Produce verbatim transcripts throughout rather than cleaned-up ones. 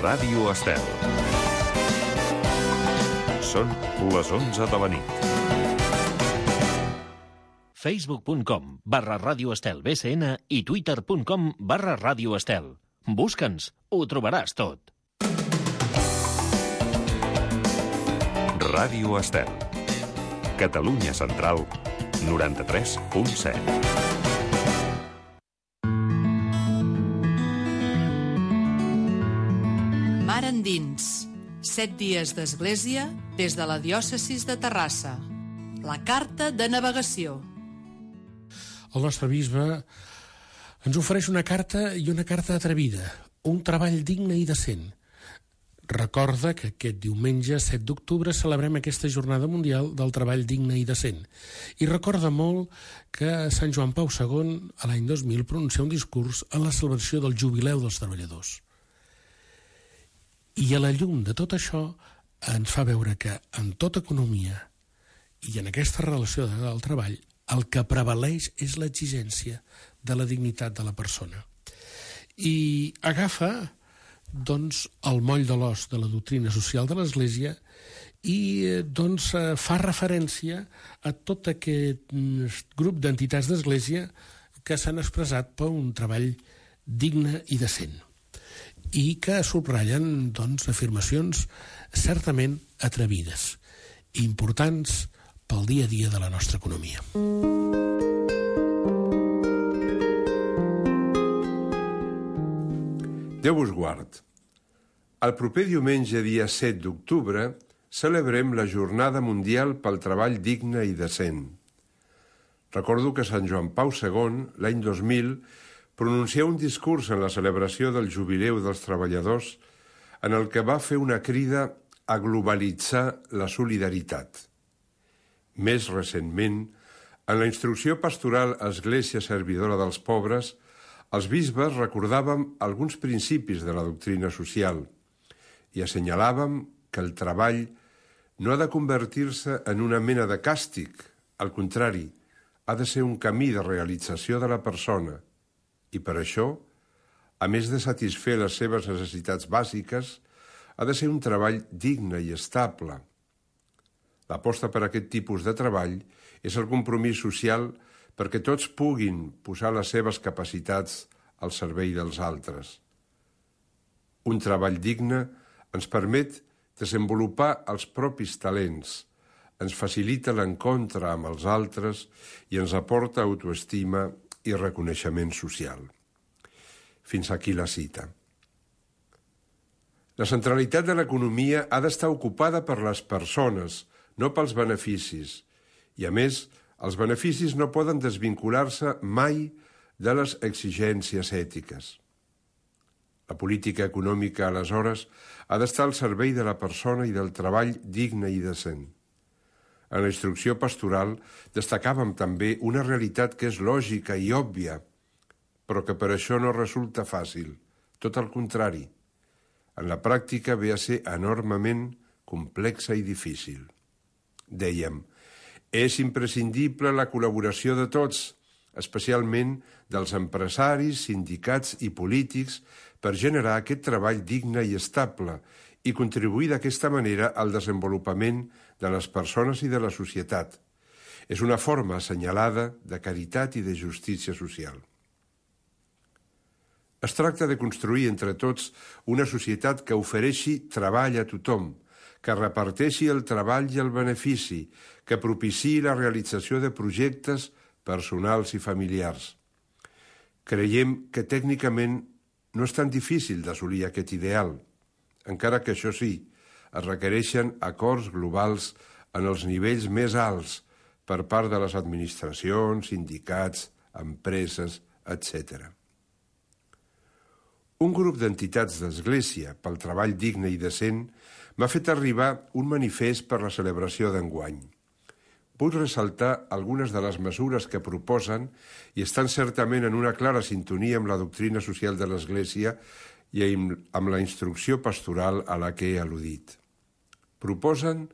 Ràdio Estel. Són les onze de la nit. facebook punt com barra Ràdio Estel B C N i twitter punt com barra Ràdio Estel. Busca'ns, ho trobaràs tot. Ràdio Estel. Catalunya Central, noranta-tres punt set. Mar endins. Set dies d'església des de la diòcesis de Terrassa. La carta de navegació. El nostre bisbe ens ofereix una carta i una carta atrevida, un treball digne i decent. Recorda que aquest diumenge, set d'octubre, celebrem aquesta Jornada Mundial del Treball Digne i Decent. I recorda molt que Sant Joan Pau segon, a l'any dos mil, pronuncià un discurs en la celebració del Jubileu dels Treballadors. I a la llum de tot això ens fa veure que en tota economia i en aquesta relació del treball el que prevaleix és l'exigència de la dignitat de la persona. I agafa doncs, el moll de l'os de la doctrina social de l'Església i doncs, fa referència a tot aquest grup d'entitats d'Església que s'han expressat per un treball digne i decent i que subratllen doncs, afirmacions certament atrevides i importants pel dia a dia de la nostra economia. Déu us guard. El proper diumenge, dia set d'octubre, celebrem la Jornada Mundial pel Treball Digne i Decent. Recordo que Sant Joan Pau segon, l'any dos mil, pronuncià un discurs en la celebració del Jubileu dels Treballadors en el que va fer una crida a globalitzar la solidaritat. Més recentment, en la instrucció pastoral Església Servidora dels Pobres, els bisbes recordàvem alguns principis de la doctrina social i assenyalàvem que el treball no ha de convertir-se en una mena de càstig, al contrari, ha de ser un camí de realització de la persona i per això, a més de satisfer les seves necessitats bàsiques, ha de ser un treball digne i estable. L'aposta per aquest tipus de treball és el compromís social perquè tots puguin posar les seves capacitats al servei dels altres. Un treball digne ens permet desenvolupar els propis talents, ens facilita l'encontre amb els altres i ens aporta autoestima i reconeixement social. Fins aquí la cita. La centralitat de l'economia ha d'estar ocupada per les persones, no pels beneficis, i a més, els beneficis no poden desvincular-se mai de les exigències ètiques. La política econòmica, aleshores, ha d'estar al servei de la persona i del treball digne i decent. En la instrucció pastoral destacàvem també una realitat que és lògica i òbvia, però que per això no resulta fàcil, tot el contrari. En la pràctica ve a ser enormement complexa i difícil. Dèiem, és imprescindible la col·laboració de tots, especialment dels empresaris, sindicats i polítics, per generar aquest treball digne i estable i contribuir d'aquesta manera al desenvolupament de les persones i de la societat. És una forma assenyalada de caritat i de justícia social. Es tracta de construir entre tots una societat que ofereixi treball a tothom, que reparteixi el treball i el benefici, que propiciï la realització de projectes personals i familiars. Creiem que tècnicament no és tan difícil d'assolir aquest ideal, encara que això sí, es requereixen acords globals en els nivells més alts per part de les administracions, sindicats, empreses, etcètera. Un grup d'entitats d'Església pel treball digne i decent m'ha fet arribar un manifest per la celebració d'enguany. Vull ressaltar algunes de les mesures que proposen i estan certament en una clara sintonia amb la doctrina social de l'Església i amb la instrucció pastoral a la que he al·ludit. Proposen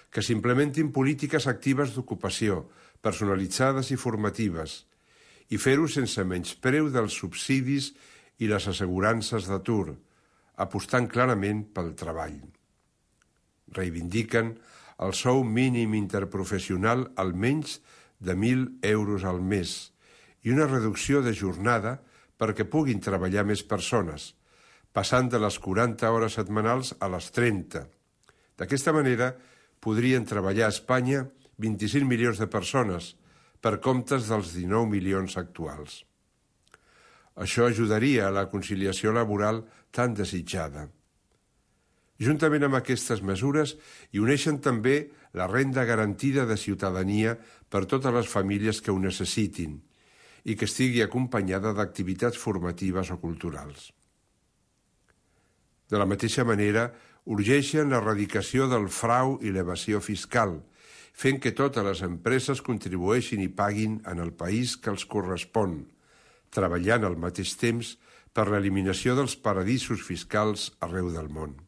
que s'implementin polítiques actives d'ocupació, personalitzades i formatives, i fer-ho sense menyspreu dels subsidis i les assegurances d'atur, apostant clarament pel treball. Reivindiquen el sou mínim interprofessional almenys de mil euros al mes i una reducció de jornada perquè puguin treballar més persones, passant de les quaranta hores setmanals a les trenta. D'aquesta manera, podrien treballar a Espanya vint-i-cinc milions de persones per comptes dels dinou milions actuals. Això ajudaria a la conciliació laboral tan desitjada. Juntament amb aquestes mesures hi uneixen també la renda garantida de ciutadania per totes les famílies que ho necessitin i que estigui acompanyada d'activitats formatives o culturals. De la mateixa manera, urgeixen l'erradicació del frau i l'evasió fiscal, fent que totes les empreses contribueixin i paguin en el país que els correspon, treballant al mateix temps per l'eliminació dels paradisos fiscals arreu del món.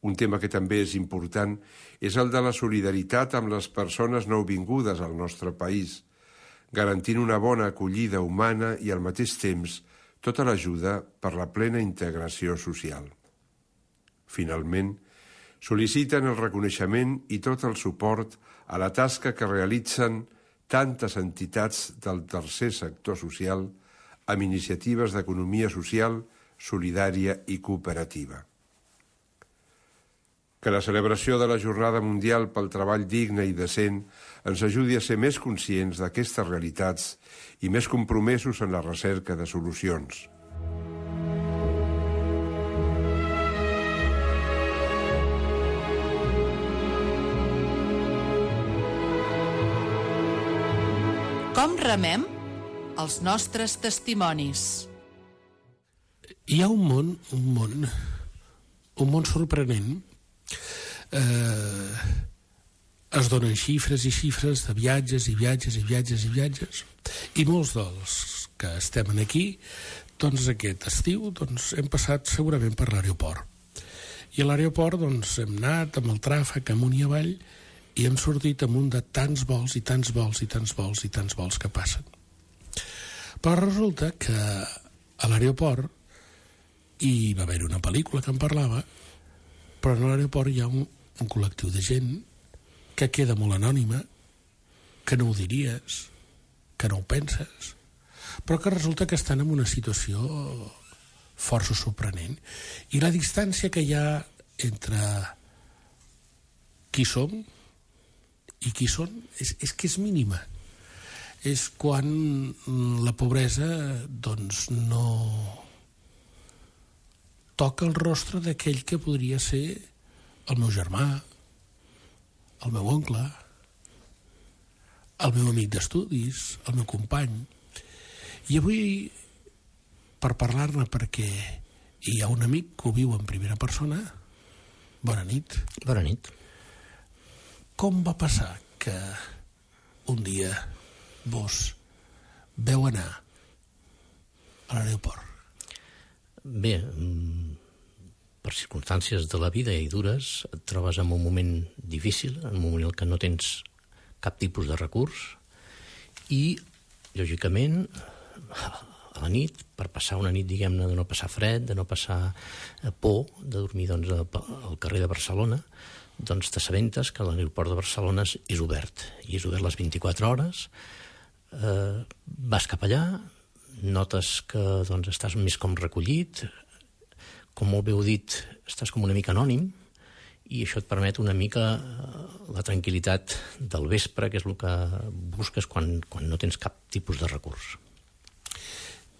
Un tema que també és important és el de la solidaritat amb les persones nouvingudes al nostre país, garantint una bona acollida humana i al mateix temps tota l'ajuda per la plena integració social. Finalment, sol·liciten el reconeixement i tot el suport a la tasca que realitzen tantes entitats del tercer sector social amb iniciatives d'economia social, solidària i cooperativa. Que la celebració de la Jornada Mundial pel Treball Digne i Decent ens ajudi a ser més conscients d'aquestes realitats i més compromesos en la recerca de solucions. Com remem els nostres testimonis? Hi ha un món, un món, un món sorprenent. Eh, es donen xifres i xifres de viatges i viatges i viatges i viatges i molts dels que estem aquí doncs aquest estiu doncs, hem passat segurament per l'aeroport i a l'aeroport doncs, hem anat amb el tràfic amunt i avall i hem sortit amunt de tants vols i tants vols i tants vols i tants vols que passen, però resulta que a l'aeroport hi va haver una pel·lícula que en parlava, però a l'aeroport hi ha un, un col·lectiu de gent que queda molt anònima, que no ho diries, que no ho penses, però que resulta que estan en una situació força sorprenent. I la distància que hi ha entre qui som i qui són és, és que és mínima. És quan la pobresa doncs no toca el rostre d'aquell que podria ser el meu germà, el meu oncle, el meu amic d'estudis, el meu company. I avui, per parlar-ne, perquè hi ha un amic que ho viu en primera persona, bona nit. Bona nit. Com va passar que un dia vos veu anar a l'aeroport? Bé, per circumstàncies de la vida i dures, et trobes en un moment difícil, en un moment en què no tens cap tipus de recurs i, lògicament, a la nit, per passar una nit, diguem-ne, de no passar fred, de no passar por, de dormir doncs, al carrer de Barcelona, doncs t'assabentes que l'aeroport de Barcelona és obert, i és obert les vint-i-quatre hores, eh, vas cap allà, notes que doncs, estàs més com recollit, com molt bé heu dit, estàs com una mica anònim, i això et permet una mica la tranquil·litat del vespre, que és el que busques quan, quan no tens cap tipus de recurs.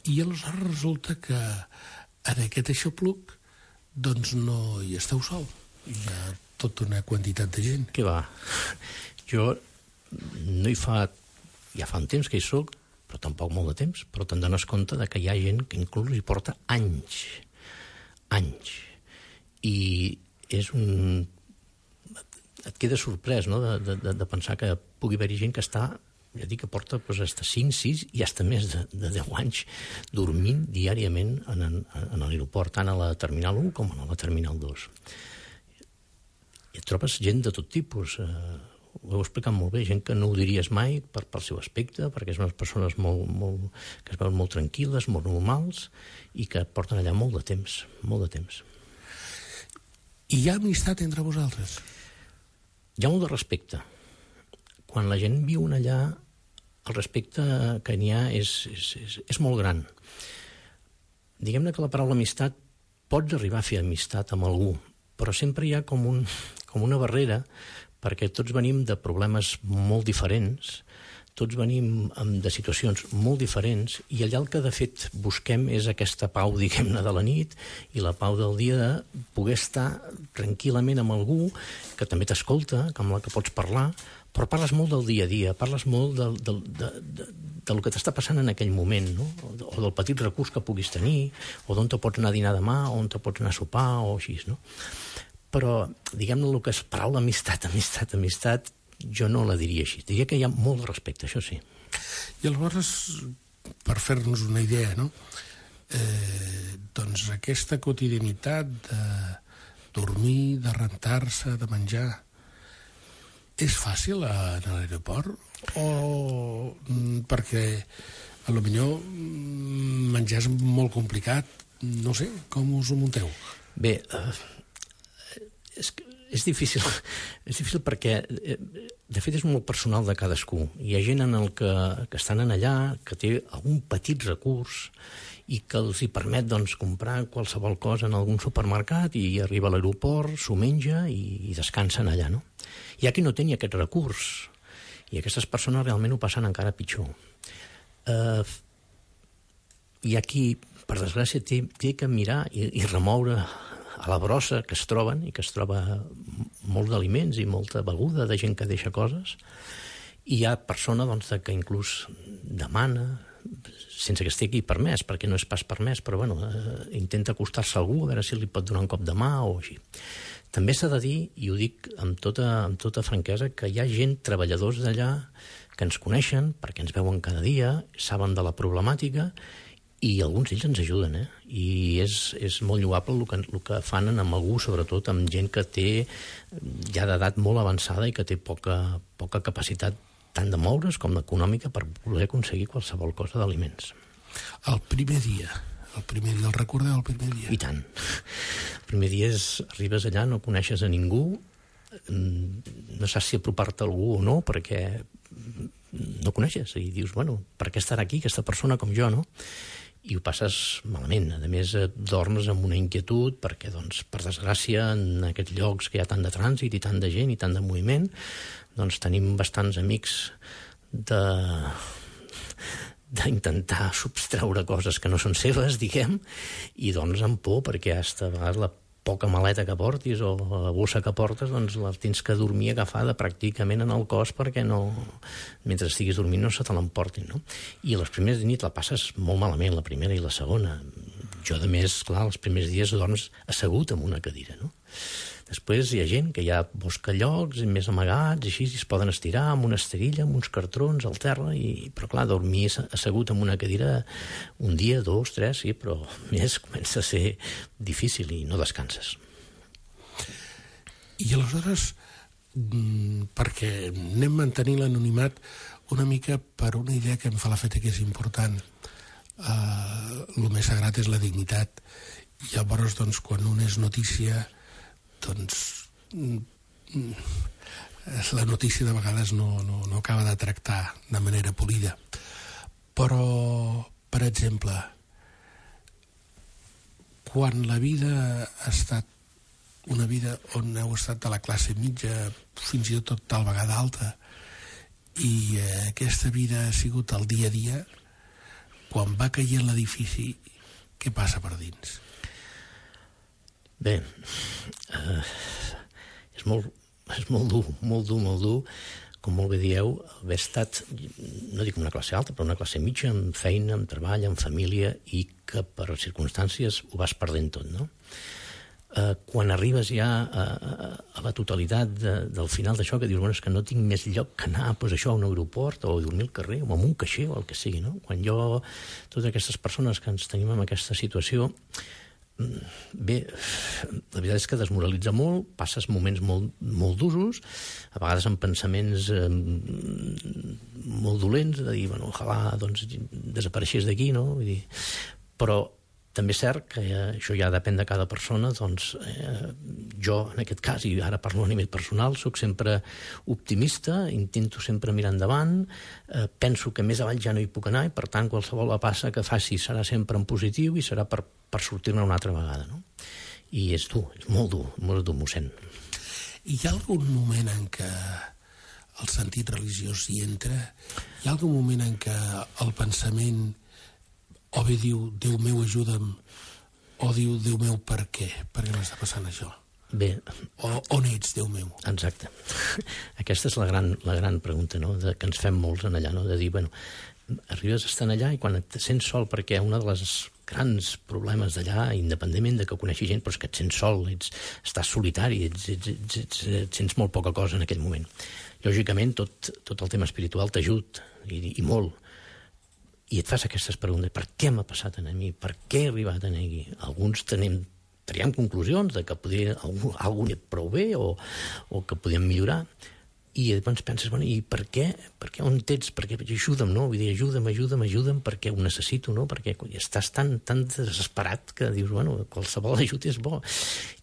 I aleshores resulta que en aquest aixopluc doncs no hi esteu sol. Hi ha tota una quantitat de gent. Què va? Jo no hi fa... Ja fa un temps que hi soc, però tampoc molt de temps, però te'n dones compte de que hi ha gent que inclús hi porta anys, anys. I és un... Et queda sorprès, no?, de, de, de pensar que pugui haver-hi gent que està, ja dic que porta doncs, fins a cinc, sis i fins a més de, de deu anys dormint diàriament en, en, en l'aeroport, tant a la Terminal u com a la Terminal dos. I et trobes gent de tot tipus, eh, ho heu explicat molt bé, gent que no ho diries mai per, pel seu aspecte, perquè són unes persones molt, molt, que es veuen molt tranquil·les, molt normals, i que porten allà molt de temps, molt de temps. I hi ha amistat entre vosaltres? Hi ha molt de respecte. Quan la gent viu allà, el respecte que n'hi ha és, és, és, és molt gran. Diguem-ne que la paraula amistat, pots arribar a fer amistat amb algú, però sempre hi ha com, un, com una barrera, perquè tots venim de problemes molt diferents, tots venim de situacions molt diferents, i allà el que de fet busquem és aquesta pau, diguem-ne, de la nit, i la pau del dia de poder estar tranquil·lament amb algú que també t'escolta, amb la que pots parlar, però parles molt del dia a dia, parles molt del, del, de, de, del que t'està passant en aquell moment, no? O del petit recurs que puguis tenir, o d'on te pots anar a dinar demà, o on te pots anar a sopar, o així, no? Però, diguem-ne, el que és paraula amistat, amistat, amistat, jo no la diria així. Diria que hi ha molt de respecte, això sí. I aleshores, per fer-nos una idea, no? Eh, doncs aquesta quotidianitat de dormir, de rentar-se, de menjar, és fàcil a l'aeroport? O perquè a lo millor menjar és molt complicat? No sé, com us ho munteu? Bé, eh, és, és difícil, és difícil perquè, de fet, és molt personal de cadascú. Hi ha gent en el que, que estan en allà, que té algun petit recurs i que els hi permet doncs, comprar qualsevol cosa en algun supermercat i arriba a l'aeroport, s'ho menja i, i descansen allà, no? Hi ha qui no té ni aquest recurs i aquestes persones realment ho passen encara pitjor. Eh, hi ha qui, per desgràcia, té, té que mirar i, i remoure a la brossa que es troben, i que es troba molt d'aliments i molta beguda de gent que deixa coses, i hi ha persona doncs, que inclús demana, sense que estigui permès, perquè no és pas permès, però bueno, eh, intenta acostar-se a algú, a veure si li pot donar un cop de mà o així. També s'ha de dir, i ho dic amb tota, amb tota franquesa, que hi ha gent, treballadors d'allà, que ens coneixen, perquè ens veuen cada dia, saben de la problemàtica, i alguns d'ells ens ajuden, eh? I és, és molt lloable el que, el que fan amb algú, sobretot amb gent que té ja d'edat molt avançada i que té poca, poca capacitat tant de moure's com d'econòmica per poder aconseguir qualsevol cosa d'aliments. El primer dia, el primer dia, el recordeu el primer dia? I tant. El primer dia és, arribes allà, no coneixes a ningú, no saps si apropar-te a algú o no, perquè no coneixes, i dius, bueno, per què estarà aquí aquesta persona com jo, no? I ho passes malament. A més, dormes amb una inquietud perquè, doncs, per desgràcia, en aquests llocs que hi ha tant de trànsit i tant de gent i tant de moviment, doncs tenim bastants amics de d'intentar substreure coses que no són seves, diguem, i doncs amb por, perquè hasta a vegades la poca maleta que portis o la bossa que portes, doncs la tens que dormir agafada pràcticament en el cos perquè no, mentre estiguis dormint no se te l'emportin, no? I les primeres nits la passes molt malament, la primera i la segona. Jo, a més, clar, els primers dies dorms assegut en una cadira, no? Després hi ha gent que ja busca llocs més amagats, així es poden estirar amb una esterilla, amb uns cartrons al terra, i, però clar, dormir assegut en una cadira un dia, dos, tres, sí, però més comença a ser difícil i no descanses. I aleshores, perquè anem mantenint l'anonimat una mica per una idea que em fa l'efecte que és important. Uh, el més sagrat és la dignitat. I llavors, doncs, quan un és notícia, doncs la notícia de vegades no, no, no acaba de tractar de manera polida. Però, per exemple, quan la vida ha estat una vida on heu estat de la classe mitja, fins i tot tal vegada alta, i eh, aquesta vida ha sigut el dia a dia, quan va caient l'edifici, què passa per dins? Bé, eh, és, molt, és molt dur, molt dur, molt dur, com molt bé dieu, haver estat, no dic una classe alta, però una classe mitja, amb feina, amb treball, amb família, i que per circumstàncies ho vas perdent tot, no? Eh, quan arribes ja a, a, a la totalitat de, del final d'això, que dius, bueno, és que no tinc més lloc que anar, doncs això, a un aeroport, o a dormir al carrer, o amb un caixer, o el que sigui, no? Quan jo, totes aquestes persones que ens tenim en aquesta situació, Bé, la veritat és que desmoralitza molt, passes moments molt, molt d'usos, a vegades amb pensaments eh, molt dolents, de dir, bueno, ojalà doncs, desapareixés d'aquí, no? Vull dir, però també és cert que eh, això ja depèn de cada persona, doncs eh, jo, en aquest cas, i ara parlo a nivell personal, sóc sempre optimista, intento sempre mirar endavant, eh, penso que més avall ja no hi puc anar i, per tant, qualsevol passa que faci serà sempre en positiu i serà per, per sortir-ne una altra vegada, no? I és dur, és molt dur, molt dur, mossèn. Hi ha algun moment en què el sentit religiós hi entra? Hi ha algun moment en què el pensament o bé diu, Déu meu, ajuda'm, o diu, Déu meu, per què? Per què m'està passant això? Bé... O on ets, Déu meu? Exacte. Aquesta és la gran, la gran pregunta, no?, de, que ens fem molts en allà, no?, de dir, bueno, arribes a estar allà i quan et sents sol, perquè un dels grans problemes d'allà, independentment de que coneixi gent, però és que et sents sol, ets, estàs solitari, ets, ets, ets, ets, ets, sents molt poca cosa en aquell moment. Lògicament, tot, tot el tema espiritual t'ajuda, i, i molt. I et fas aquestes preguntes, per què m'ha passat a mi? Per què he arribat a aquí? Alguns tenim, traiem conclusions de que podia, algú, algú ha prou bé o, o que podíem millorar, i llavors penses, bueno, i per què? Per què? On ets? Per què? Ajuda'm, no? Vull dir, ajuda'm, ajuda'm, ajuda'm, perquè ho necessito, no? Perquè estàs tan, tan desesperat que dius, bueno, qualsevol ajut és bo.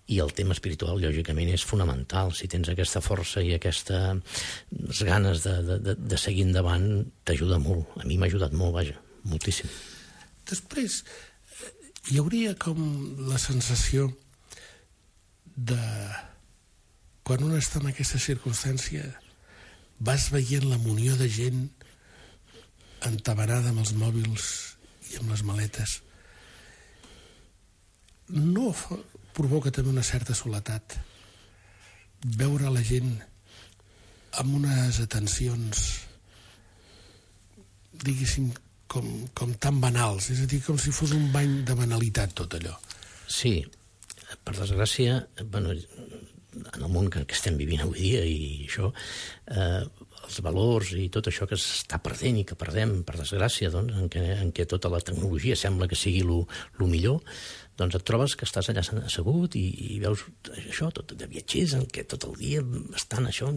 I el tema espiritual, lògicament, és fonamental. Si tens aquesta força i aquestes ganes de, de, de, de seguir endavant, t'ajuda molt. A mi m'ha ajudat molt, vaja, moltíssim. Després, hi hauria com la sensació de... Quan un està en aquesta circumstància, vas veient la munió de gent entabanada amb els mòbils i amb les maletes. No provoca també una certa soledat veure la gent amb unes atencions, diguéssim, com, com tan banals, és a dir, com si fos un bany de banalitat tot allò. Sí, per desgràcia, bueno, en el món que, que estem vivint avui dia i això, eh, els valors i tot això que s'està perdent i que perdem, per desgràcia, doncs, en, què, en què tota la tecnologia sembla que sigui lo, lo millor, doncs et trobes que estàs allà assegut i, i veus això, tot de viatgers en què tot el dia estan això,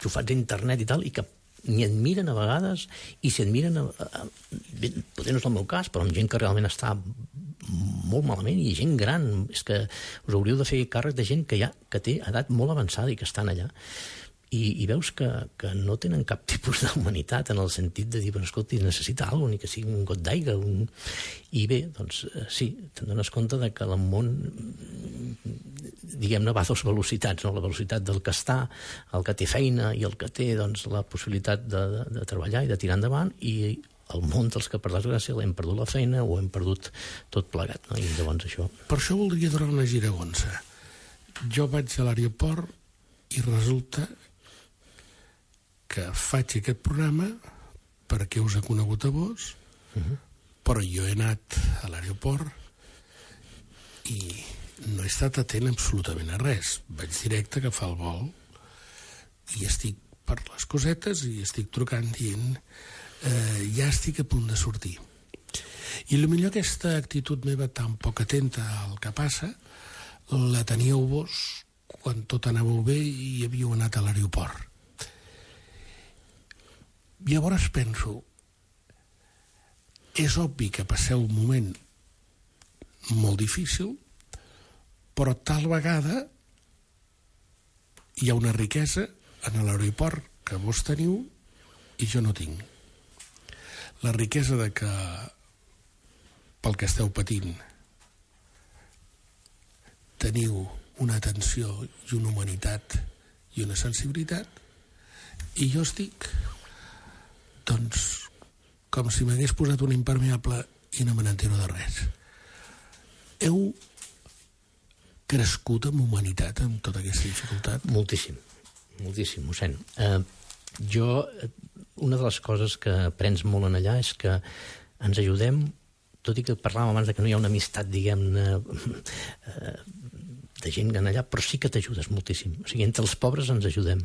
xufats a internet i tal, i que ni et miren a vegades, i si et miren, a, a, potser no és el meu cas, però amb gent que realment està molt malament, i gent gran, és que us hauríeu de fer càrrec de gent que, ja, que té edat molt avançada i que estan allà. I, i veus que, que no tenen cap tipus d'humanitat en el sentit de dir, bueno, escolta, necessita alguna cosa, ni que sigui un got d'aigua. Un... I bé, doncs sí, te'n dones compte de que el món, diguem-ne, va a dues velocitats, no? La velocitat del que està, el que té feina i el que té doncs, la possibilitat de, de, de treballar i de tirar endavant, i el món dels que per desgràcia l'hem perdut la feina o hem perdut tot plegat, no? I llavors això... Per això voldria donar una giragonsa. Jo vaig a l'aeroport i resulta que faig aquest programa perquè us he conegut a vos, uh-huh. però jo he anat a l'aeroport i no he estat atent absolutament a res. Vaig directe a agafar el vol i estic per les cosetes i estic trucant dient eh, ja estic a punt de sortir. I potser aquesta actitud meva tan poc atenta al que passa la teníeu vos quan tot anàveu bé i havíeu anat a l'aeroport. Llavors penso, és obvi que passeu un moment molt difícil, però tal vegada hi ha una riquesa en l'aeroport que vos teniu i jo no tinc. La riquesa de que pel que esteu patint teniu una atenció i una humanitat i una sensibilitat, i jo estic doncs com si m'hagués posat un impermeable i no me n'entero de res. Heu crescut amb humanitat amb tota aquesta dificultat? Moltíssim, moltíssim, mossèn. Eh, jo, una de les coses que aprens molt en allà és que ens ajudem, tot i que parlàvem abans de que no hi ha una amistat, diguem-ne, eh, de gent en allà, però sí que t'ajudes moltíssim. O sigui, entre els pobres ens ajudem.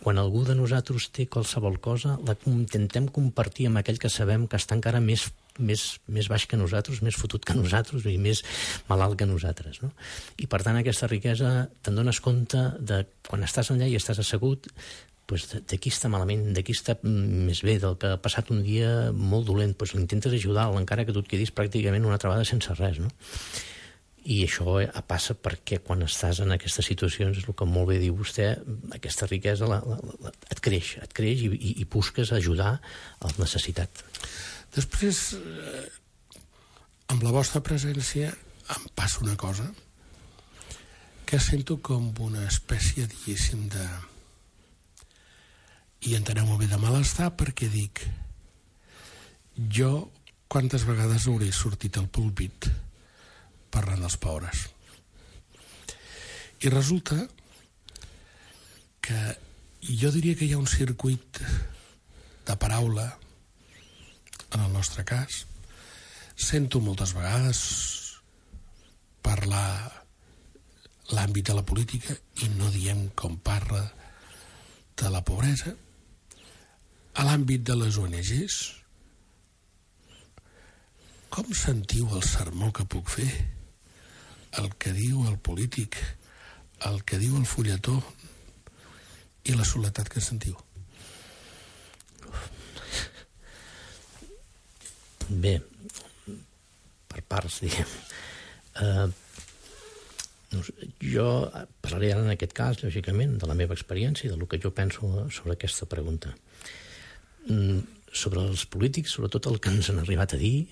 Quan algú de nosaltres té qualsevol cosa, la intentem compartir amb aquell que sabem que està encara més, més, més baix que nosaltres, més fotut que nosaltres i més malalt que nosaltres, no? I per tant aquesta riquesa te'n dones compte de quan estàs allà i estàs assegut, pues, de qui està malament, de qui està més bé, del que ha passat un dia molt dolent, pues, l'intentes ajudar, encara que tu et quedis pràcticament una altra vegada sense res, no? I això passa perquè quan estàs en aquestes situacions, és el que molt bé diu vostè, aquesta riquesa la, la, la, et creix, et creix i, i, i busques ajudar al necessitat. Després, eh, amb la vostra presència, em passa una cosa que sento com una espècie, diguéssim, de... I enteneu-me bé, de malestar, perquè dic, jo quantes vegades hauré sortit al púlpit parlant dels pobres. I resulta que jo diria que hi ha un circuit de paraula, en el nostre cas. Sento moltes vegades parlar l'àmbit de la política i no diem com parla de la pobresa. A l'àmbit de les O N Ges, com sentiu el sermó que puc fer? El que diu el polític, el que diu el fulletó i la soledat que sentiu? Bé, per parts, diguem. Uh, jo parlaré ara en aquest cas, lògicament, de la meva experiència i del que jo penso sobre aquesta pregunta. Mm, sobre els polítics, sobretot el que ens han arribat a dir,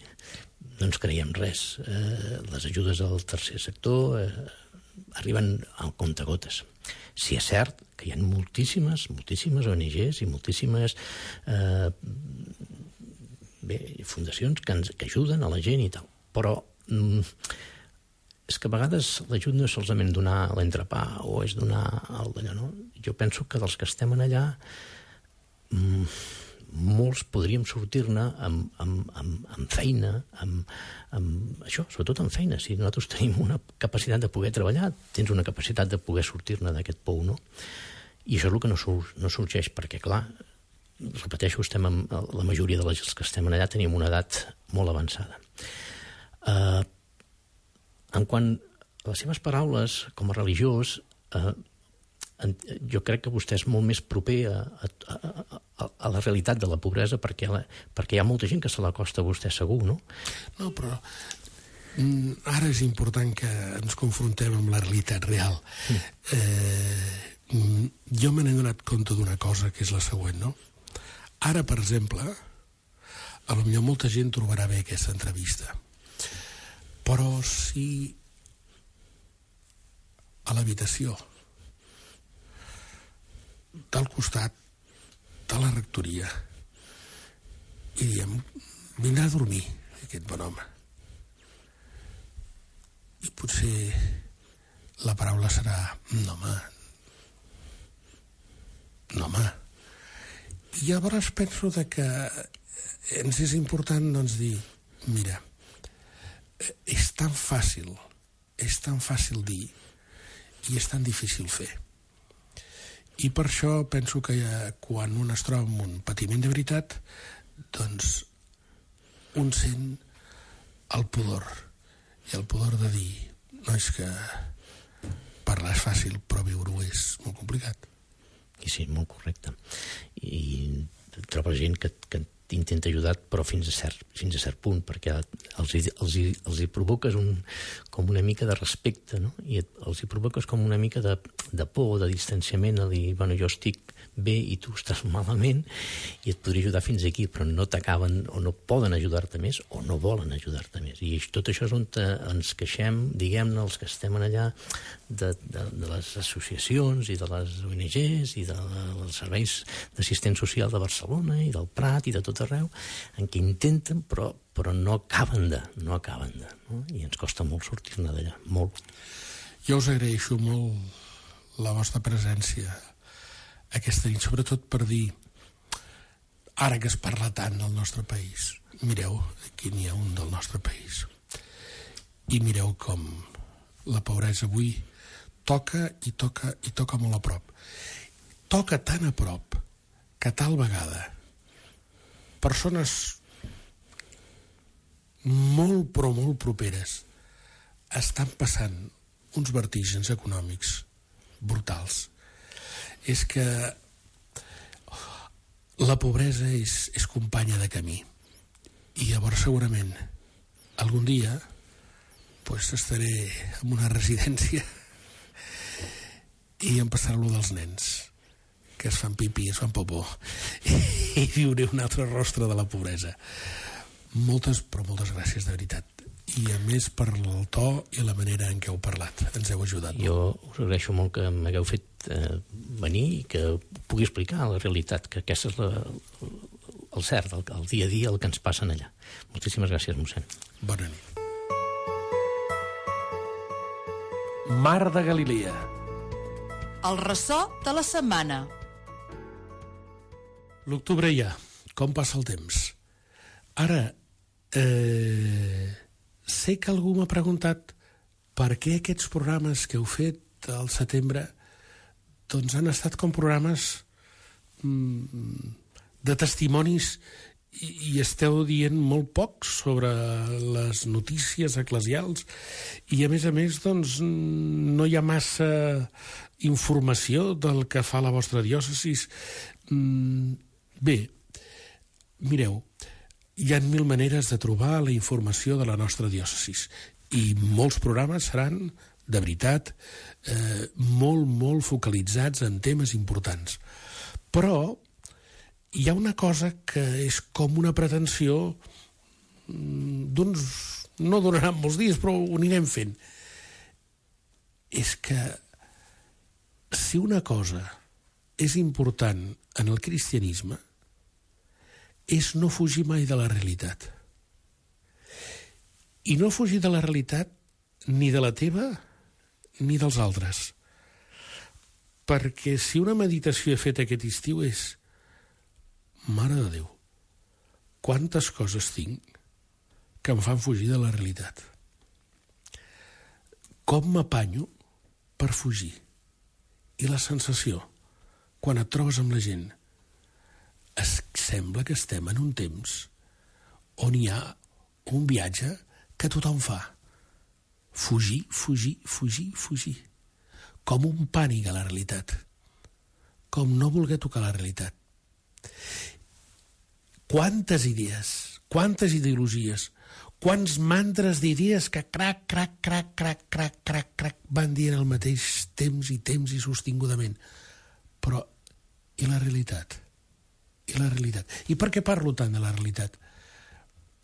no ens creiem res. Eh, les ajudes al tercer sector eh, arriben al comptagotes. Si és cert que hi ha moltíssimes, moltíssimes O N Ges i moltíssimes eh, bé, fundacions que, ens, que ajuden a la gent i tal, però mm, és que a vegades l'ajut no és solament donar l'entrepà o és donar el d'allò, no? Jo penso que dels que estem en allà mm, molts podríem sortir-ne amb, amb, amb, amb feina, amb, amb això, sobretot amb feina. Si nosaltres tenim una capacitat de poder treballar, tens una capacitat de poder sortir-ne d'aquest pou, no? I això és el que no, sur no sorgeix, perquè, clar, repeteixo, estem amb, la majoria de les que estem allà tenim una edat molt avançada. Uh, en quant a les seves paraules, com a religiós, uh, jo crec que vostè és molt més proper a, a, a, a la realitat de la pobresa perquè, la, perquè hi ha molta gent que se l'acosta a vostè segur, no? No, però mm, ara és important que ens confrontem amb la realitat real. Mm. Eh, mm, jo me n'he donat compte d'una cosa que és la següent, no? Ara, per exemple, a lo millor molta gent trobarà bé aquesta entrevista, però si a l'habitació del costat de la rectoria i diem, vindrà a dormir aquest bon home, i potser la paraula serà no home, no home, i llavors penso de que ens és important, doncs, dir mira, és tan fàcil és tan fàcil dir i és tan difícil fer. I per això penso que quan un es troba amb un patiment de veritat, doncs un sent el pudor. I el pudor de dir, no és que parlar és fàcil, però viure-ho és molt complicat. I sí, molt correcte. I trobo gent que, que intenta ajudar, però fins a cert, fins a cert punt, perquè els hi, els hi, els hi provoques un, com una mica de respecte, no? I et, els hi provoques com una mica de, de por, de distanciament, a dir, bueno, jo estic bé i tu estàs malament i et podria ajudar fins aquí, però no t'acaben o no poden ajudar-te més o no volen ajudar-te més. I tot això és on ens queixem, diguem-ne, els que estem allà, de, de, de les associacions i de les O N Ges i de, de, dels serveis d'assistent social de Barcelona i del Prat i de tot arreu, en què intenten, però, però no acaben de, no acaben de, no? I ens costa molt sortir-ne d'allà, molt. Jo us agraeixo molt la vostra presència aquesta nit, sobretot per dir, ara que es parla tant del nostre país, mireu, aquí n'hi ha un del nostre país, i mireu com la pobresa avui toca i toca i toca molt a prop. Toca tan a prop que tal vegada persones molt, però molt properes, estan passant uns vertigens econòmics brutals. És que la pobresa és, és companya de camí. I llavors segurament algun dia pues, estaré en una residència i em passarà allò dels nens que es fan pipí, es fan popó i viuré un altre rostre de la pobresa. Moltes, però moltes gràcies de veritat, i a més per el to i la manera en què heu parlat, ens heu ajudat. Jo us agraeixo molt que m'hagueu fet eh, venir i que pugui explicar la realitat, que aquesta és la, el cert, el, el dia a dia, el que ens passa allà. Moltíssimes gràcies, mossèn. Bona nit. Mar de Galilea. El ressò de la setmana. L'octubre ja, com passa el temps. Ara, eh, sé que algú m'ha preguntat per què aquests programes que heu fet al setembre doncs han estat com programes mm, de testimonis i, i esteu dient molt poc sobre les notícies eclesials i a més a més doncs no hi ha massa informació del que fa la vostra diòcesis. Mm, bé, mireu, hi ha mil maneres de trobar la informació de la nostra diòcesis i molts programes seran, de veritat, eh, molt, molt focalitzats en temes importants. Però hi ha una cosa que és com una pretensió d'uns... no duraran molts dies, però ho anirem fent. És que si una cosa és important en el cristianisme és no fugir mai de la realitat. I no fugir de la realitat ni de la teva ni dels altres. Perquè si una meditació he fet aquest estiu és Mare de Déu, quantes coses tinc que em fan fugir de la realitat. Com m'apanyo per fugir? I la sensació, quan et trobes amb la gent, es sembla que estem en un temps on hi ha un viatge que tothom fa. Fugir, fugir, fugir, fugir. Com un pànic a la realitat. Com no voler tocar la realitat. Quantes idees, quantes ideologies, quants mantres d'idees que crac, crac, crac, crac, crac, crac, crac, van dient al mateix temps i temps i sostingudament. Però, i la realitat? I la realitat. I per què parlo tant de la realitat?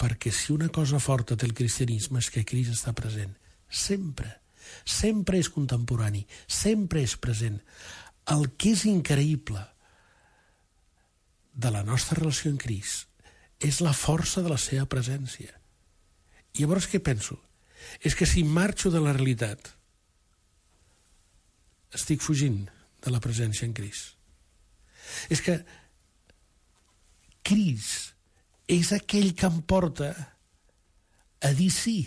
Perquè si una cosa forta té el cristianisme és que Crist està present. Sempre. Sempre és contemporani. Sempre és present. El que és increïble de la nostra relació amb Crist és la força de la seva presència. I llavors què penso? És que si marxo de la realitat estic fugint de la presència en Crist. És que Crist és aquell que em porta a dir sí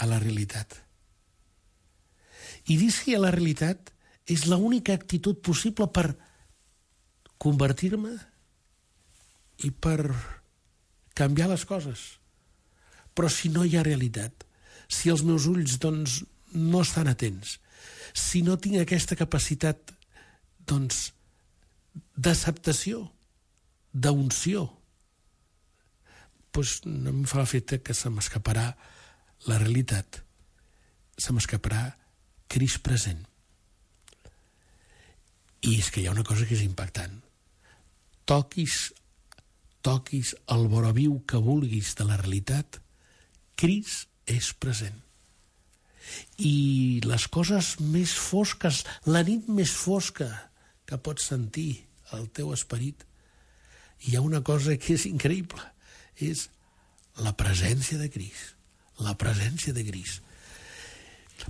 a la realitat. I dir sí a la realitat és l'única actitud possible per convertir-me i per canviar les coses. Però si no hi ha realitat, si els meus ulls doncs, no estan atents, si no tinc aquesta capacitat doncs, d'acceptació, d'unció, doncs no em fa l'efecte que se m'escaparà la realitat, se m'escaparà Crist present. I és que hi ha una cosa que és impactant. Toquis, toquis el voraviu que vulguis de la realitat, Crist és present. I les coses més fosques, la nit més fosca que pots sentir al teu esperit, hi ha una cosa que és increïble, és la presència de Crist, la presència de Crist.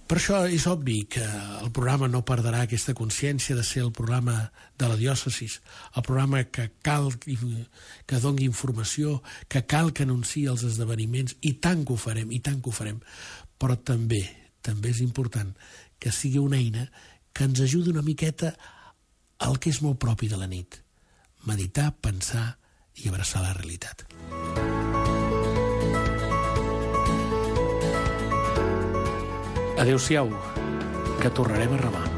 Per això és obvi que el programa no perdrà aquesta consciència de ser el programa de la diòcesis, el programa que cal que doni informació, que cal que anunciï els esdeveniments, i tant que ho farem, i tant que ho farem, però també, també és important que sigui una eina que ens ajudi una miqueta al que és molt propi de la nit, meditar, pensar i abraçar la realitat. Adéu-siau, que tornarem a remar.